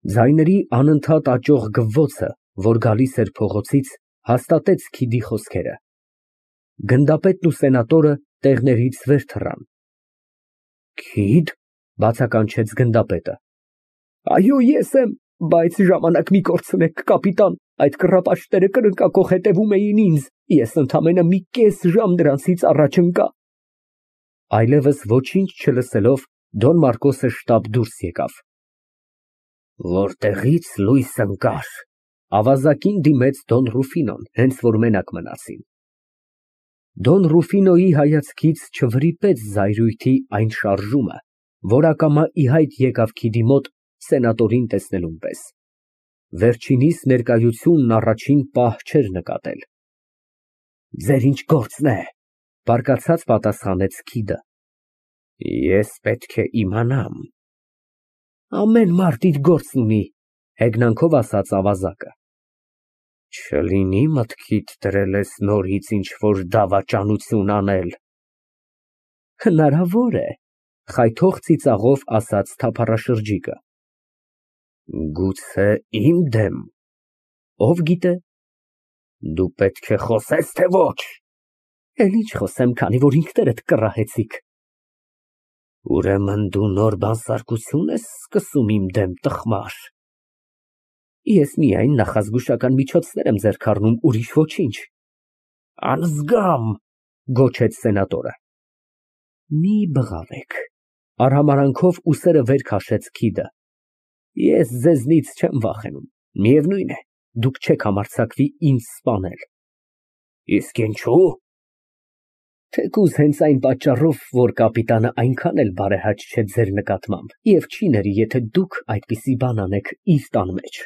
Ձայների անընդհատ աճող գվվոցը, որ գալիս էր փողոցից, հաստատեց քիդի խոսքերը։ Գնդապետն ու սենատորը տեղներից վեր թռան։ Քիդ, բացականչեց գնդապետը։ Այո, ես եմ, բայց ժամանակ մի կորցնեք, կապիտան, այդ կռապաշտները կրնկակոխ հետևում էին ինձ, ես ընդամենը մի կես ժամ նրանցից առաջ ընկա։ Այլևս ոչինչ չլսելով, Դոն Մարկոսը շտապ դուրս եկավ։ Որտեղի՞ց լույս ընկար, ավազակին դիմեց Դոն Ռուֆինոն, հենց որ մենակ մնացին։ Դոն Ռուֆինոյի հայացքից չվրիպեց զայրույթի այն շարժումը, որ ակամա ի հայտ եկավ քիդի մոտ սենատորին տեսնելուն պես։ Վերջինիս ներկայությունն առաջին պահ չէր նկատել։ Ձեր ինչ գործն է, բարկացած պատասխանեց քիդը։ Ես պետք է իմանամ։ Ամեն մարդ իր գործն ունի, հեգնանքով ասաց ավազակը։ Չլինի մտքիդ դրել ես նորից ինչ-որ դավաճանություն անել։ Հնարավոր է, խայթող ծիծաղով ասաց թափառաշրջիկը։ Գուցե իմ դեմ։ Ով գիտե։ Դու պետք է խոսես, թե ոչ։ Էլ ինչ խոսեմ, քանի որ ինքներդ կռահեցիք։ Ուրեմն դու նոր բանսարկություն ես սկսում իմ դեմ, տխմար։ Ես միայն նախազգուշական միջոցներ եմ ձեռք առնում, ուրիշ ոչինչ։ Անզգամ, գոչեց սենատորը։ Մի բղավեք, արհամարանքով ուսերը վեր քաշեց քիդը։ Ես ձեզնից չեմ վախենում, միևնույն է, դուք չեք համարձակվի ինձ սպանել։ Իսկ ինչու։ Թեկուզ հենց այն պատճառով, որ կապիտանը այնքան էլ բարեհաճ չէ ձեր նկատմամբ, և չի ների, եթե դուք այդպիսի բան անեք իր տան մեջ։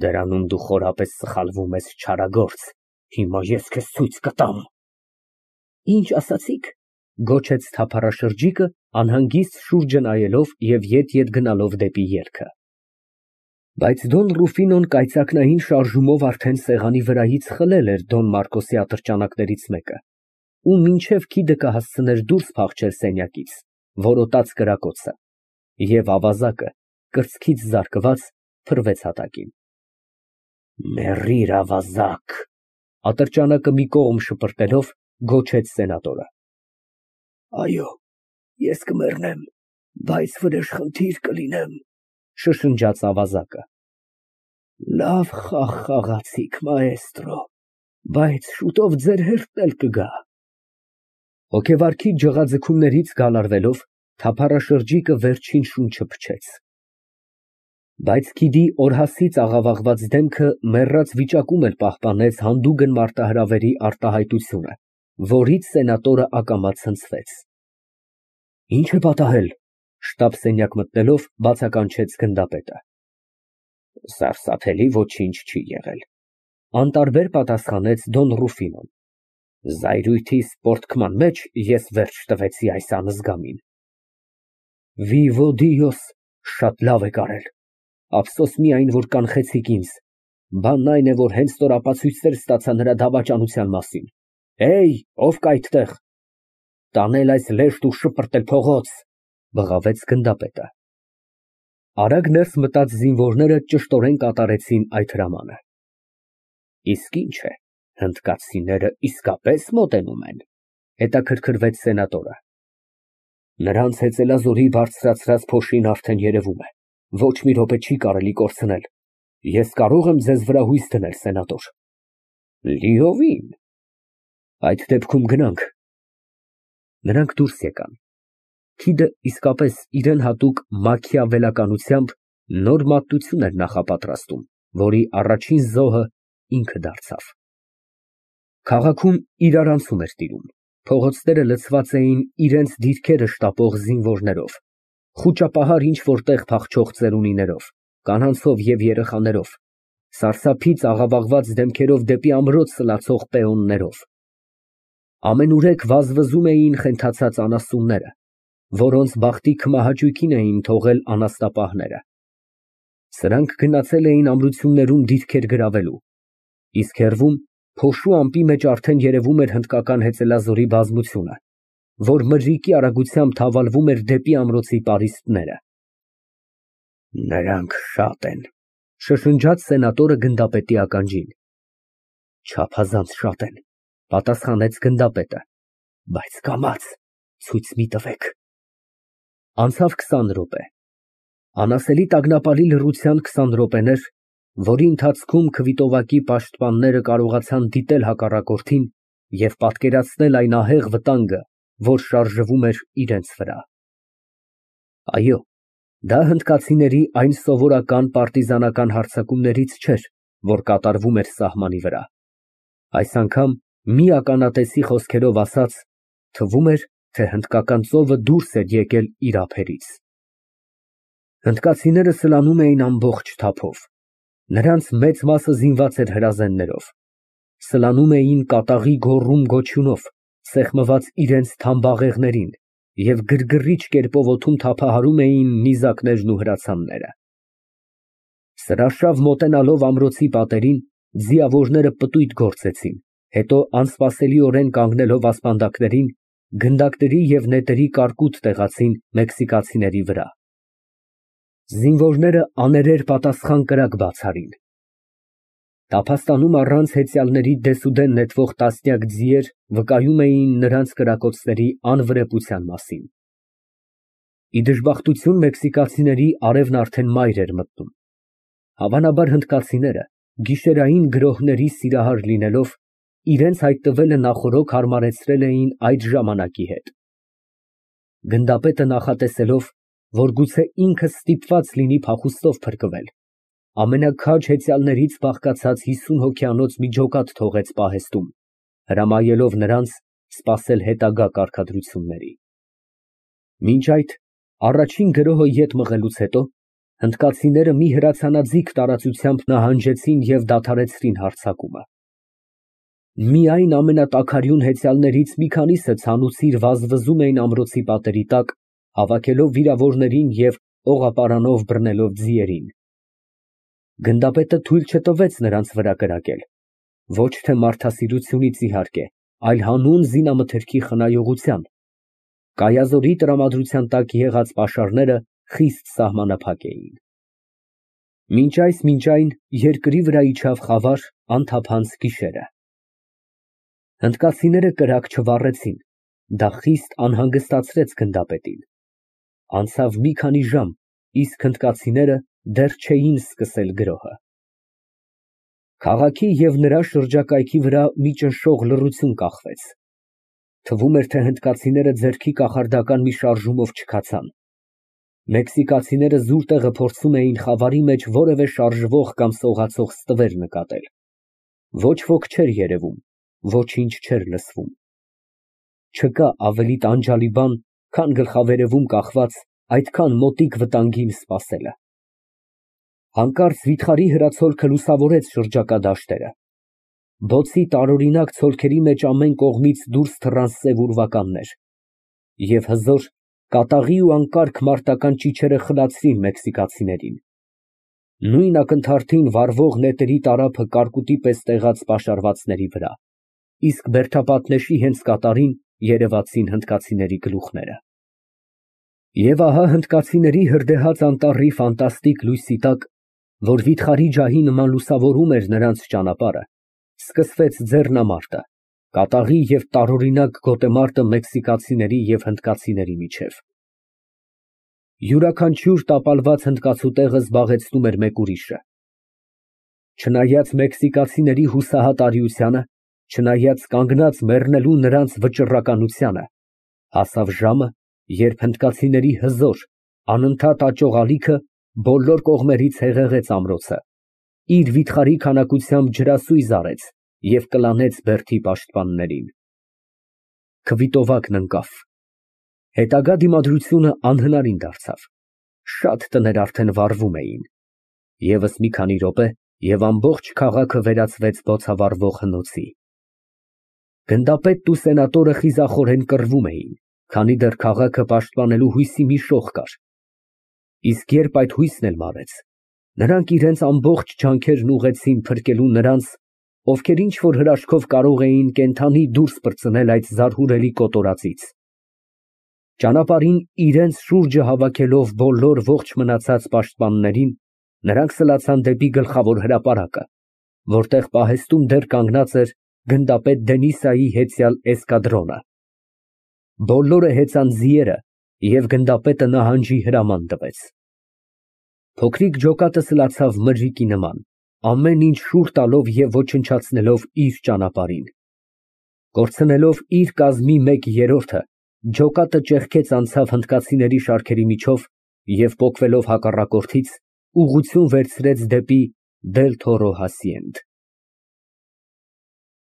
Դրանում դու խորապես սխալվում ես, չարագործ, հիմա ես քեզ ցույց կտամ։ Ինչ ասացիք, գոչեց թափառաշրջիկը, անհանգիստ շուրջը նայելով և ետ գնալով դեպի ելքը։ Բայց Դոն Ռուֆինոն կայծակնային շարժումով արդեն սեղանի վրայից խլել էր Դոն Մարկոսի ատրճանակներից մեկը, ու մինչև քիդը կհասցներ դուրս փախչել սենյակից, որոտաց կրակոցը, և ավազակը, կրծքից զարկված, փռվեց հատակին։ Մեռիր, ավազակ, ատրճանակը մի կողմ շպրտելով, գոչեց սենատորը։ Այո, ես կմեռնեմ, բայց վրեժխնդիր կլինեմ, շշնջաց ավազակը։ Լավ խաղ խաղացիք, մաեստրո, բայց շուտով ձեր հերթն էլ կգա։ Հոգեվարքի ջղաձգումներից գալարվելով, թափառաշրջիկը վերջին շունչը փչեց։ Բայց քիդի օրհասից աղավաղված դեմքը մեռած վիճակում էլ պահպանեց հանդուգն մարտահրավերի արտահայտությունը, որից սենատորը ակամա ցնցվեց։ Ինչ է պատահել, շտապ սենյակ մտնելով, բացականչեց գնդապետը։ Սարսափելի ոչինչ չի եղել, անտարբեր պատասխանեց Դոն Ռուֆինոն։ Զայրույթի սպորտքման մեջ ես վերջ տվեցի այս անզգամին։ Վիվո Դիոս, շատ լավ եք արել, ափսոս միայն, որ կանխեցիք ինձ, բանն այն է, որ հենց նոր ապացույցներ ստացա նրա դավաճանության մասին։ Հեյ, ով կա այդտեղ։ Տանել այս լեշտ ու շպրտել փողոց, բղավեց գնդապետը։ Արագ ներս մտած զինվորները ճշտորեն կատարեցին այդ հրամանը։ Իսկ ինչ է, հնդկացիները իսկապես մոտենում են, հետաքրքրվեց սենատորը։ Նրանց հեծելազորի բարձրացրած փոշին արդեն երևում է, ոչ մի րոպե չի կարելի կորցնել։ Ես կարող եմ ձեզ վրա հույս դնել, սենատոր։ Լիովին։ Այդ դեպքում գնանք։ Նրանք դուրս եկան։ Քիդը իսկապես իրեն հատուկ մաքիավելականությամբ նոր մատություն էր նախապատրաստում, որի առաջին զոհը ինքը դարձավ։ Քաղաքում իրարանցում էր տիրում, փողոցները լցված էին իրենց դիրքերը շտապող զինվորներով, խուճապահար ինչ֊որ տեղ փախչող ծերունիներով, կանանցով և երեխաներով, սարսափից աղավաղված դեմքերով դեպի ամրոց սլացող պեոններով։ Ամենուրեք վազվզում էին խենթացած անասունները, որոնց բախտի քմահաճույքին էին թողել անասնապահները։ Սրանք գնացել էին ամրություններում դիրքեր գրավելու, իսկ հեռվում փոշու ամպի մեջ արդեն երևում էր հնդկական հեծելազորի բազմությունը, որ մրրիկի արագությամբ թավալվում էր դեպի ամրոցի պարիսպները։ Նրանք շատ են, շշնջաց սենատորը գնդապետի ականջին։ Չափազանց շատ են, պատասխանեց գնդապետը, բայց կամաց ցույց մի տվեք։ Անցավ 20 րոպե։ Անասելի տագնապալի լռության 20 րոպեներ, որի ընթացքում քվիտովակի պաշտպանները կարողացան դիտել հակառակորդին և պատկերացնել այն ահեղ վտանգը, որ շարժվում էր իրենց վրա։ Այո, դա հնդկացիների այն սովորական պարտիզանական հարձակումներից չէր, որ կատարվում էր սահմանի վրա։ Այս անգամ, մի ականատեսի խոսքերով ասած, թվում էր, թե հնդկական ծովը դուրս էր եկել իր ափերից։ Հնդկացիները սլանում էին ամբողջ թափով։ Նրանց մեծ մասը զինված էր հրազեններով։ Սլանում էին կատաղի գոռում֊գոչյունով, սեղմված իրենց թամբաղեղներին և գրգռիչ կերպով օդում թափահարում էին նիզակներն ու հրացանները։ Սրաշավ մոտենալով ամրոցի պատերին, ձիավորները պտույտ գործեցին, հետո անսպասելիորեն կանգնելով ասպանդակներին, գնդակների և նետերի կարկուտ տեղացին մեքսիկացիների վրա։ Զինվորները աներեր պատասխան կրակ բաց արին։ Տափաստանում առանց հեծյալների դեսուդեն նետվող տասնյակ ձիեր վկայում էին նրանց կրակոցների անվրեպության մասին։ Ի դժբախտություն մեքսիկացիների արևն արդեն մայր էր մտնում։ Հավանաբար հնդկացիները, գիշերային գրոհների սիրահար լինելով, իրենց հայտնվելը նախօրոք հարմարեցրել էին այդ ժամանակի հետ։ Գնդապետը նախատեսելով, որ գուցե ինքը ստիպված լինի փախուստով փրկվել, ամենաքաջ հեծյալներից բաղկացած 50 հոգյանոց մի ջոկատ թողեց պահեստում, հրամայելով նրանց սպասել հետագա կարգադրությունների։ Մինչ այդ, առաջին գրոհը ետ մղելուց հետո, հնդկացիները մի հրացանաձիգ տարածությամբ նահանջեցին և դադարեցրին հարձակումը։ Միայն ամենատաքարյուն հեծյալներից մի քանիսը ցանուցիր վազվզում էին ամրոցի պատերի տակ, հավաքելով վիրավորներին և օղապարանով բռնելով ձիերին։ Գնդապետը թույլ չտվեց նրանց վրա կրակել, ոչ թե մարդասիրությունից իհարկե, այլ հանուն զինամթերքի խնայողության։ Կայազորի տրամադրության տակ եղած պաշարները խիստ սահմանափակ էին։ Մինչ այն երկրի վրա իջավ խավար, անթափանց գիշերը։ Հնդկացիները կրակ չվառեցին, դա խիստ անհանգստացրեց գնդապետին։ Անցավ մի քանի ժամ, իսկ հնդկացիները դեռ չէին սկսել գրոհը։ Քաղաքի և նրա շրջակայքի վրա մի ճնշող լռություն կախվեց։ Թվում էր, թե հնդկացիները ձեռքի կախարդական մի շարժումով չքացան։ Մեքսիկացիները զուր տեղը փորձում էին խավարի մեջ որևէ շարժվող կամ սողացող ստվեր նկատել։ Ոչ ոք չէր երևում, ոչինչ չէր լսվում։ Չկա ավելի տանջալի բան, քան գլխավերևում կախված այդքան մոտիկ վտանգին սպասելը։ Հանկարծ վիթխարի հրացոլքը լուսավորեց շրջակա դաշտերը։ Բոցի տարօրինակ ցոլքերի մեջ ամեն կողմից դուրս թռան սև ուրվականներ, և հզոր, կատաղի ու անկարգ մարտական ճիչերը խլացրին մեքսիկացիներին։ Նույն ակնթարթին վառվող նետերի տարափը կարկուտի պես տեղաց պաշարվածների վրա, իսկ բերդապատնեշի հենց կատարին երևացին հնդկացիների գլուխները։ Եվ ահա հնդկացիների հրդեհած անտառի ֆանտաստիկ լույսի տակ, որ վիթխարի ջահի նման լուսավորում էր նրանց ճանապարհը, սկսվեց ձեռնամարտը, կատաղի և տարօրինակ գոտեմարտը մեքսիկացիների և հնդկացիների միջև։ Յուրաքանչյուր տապալված հնդկացու տեղը զբաղեցնում էր մեկ ուրիշը։ Չնայած մեքսիկացիների հուսահատ արիությանը, չնայած կանգնած մեռնելու նրանց վճռականությանը, հասավ ժամը, երբ հնդկացիների հզոր, անընդհատ աճող ալիքը բոլոր կողմերից հեղեղեց ամրոցը, իր վիթխարի քանակությամբ ջրասույզ արեց և կլանեց բերդի պաշտպաններին։ Քվիտովակն ընկավ։ Հետագա դիմադրությունը անհնարին դարձավ։ Շատ տներ արդեն վառվում էին։ Եվս մի քանի րոպե, և ամբողջ քաղաքը վերածվեց բոցավառվող հնոցի։ Գնդապետն ու սենատորը խիզախորեն կռվում էին, քանի դեռ քաղաքը պաշտպանելու հույսի մի շող կար։ Իսկ երբ այդ հույսն էլ մարեց, նրանք իրենց ամբողջ ջանքերն ուղղեցին փրկելու նրանց, ովքեր ինչ֊որ հրաշքով կարող էին կենդանի դուրս պրծնել այդ զարհուրելի կոտորածից։ Ճանապարհին իրենց շուրջը հավաքելով բոլոր ողջ մնացած պաշտպաններին, նրանք սլացան դեպի գլխավոր հրապարակը, որտեղ պահեստում դեռ կանգնած էր գնդապետ Դենիսայի հետյալ էսկադրոնը։ Բոլորը հեծան ձիերը, և գնդապետը նահանջի հրաման տվեց։ Փոքրիկ ջոկատը սլացավ մրրիկի նման, ամեն ինչ շուռ տալով և ոչնչացնելով իր ճանապարհին։ Կորցնելով իր կազմի 1/3-ը, ջոկատը ճեղքեց անցավ հնդկացիների շարքերի միջով և պոկվելով հակառակորդից, ուղղություն վերցրեց դեպի Դել Թորո հասցեենդ։